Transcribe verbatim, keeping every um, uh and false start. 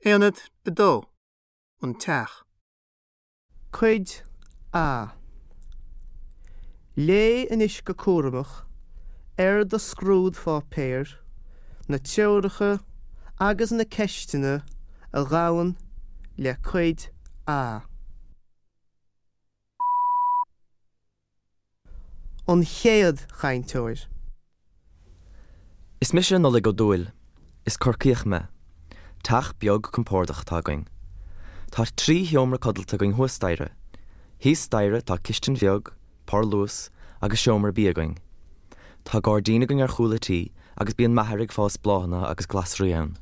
Aonad a dó, An Teach. Cuid A Léigh anois go cúramach ar do scrúdpháipéar na treoracha agus na ceisteanna a ghabhann le Cuid A. An chéad chainteoir. Is mise Nollaig Ó Dúill. Is Corcaíoch mé. Teach beag compordach atá againn. Tá trí sheomra codlata againn thuas staighre. Thíos staighre tá cistin bheag, parlús agus seomra bia againn. Tá gairdín againn ar chúl an tí agus bíonn m'athair ag fás bláthanna agus glasraí ann.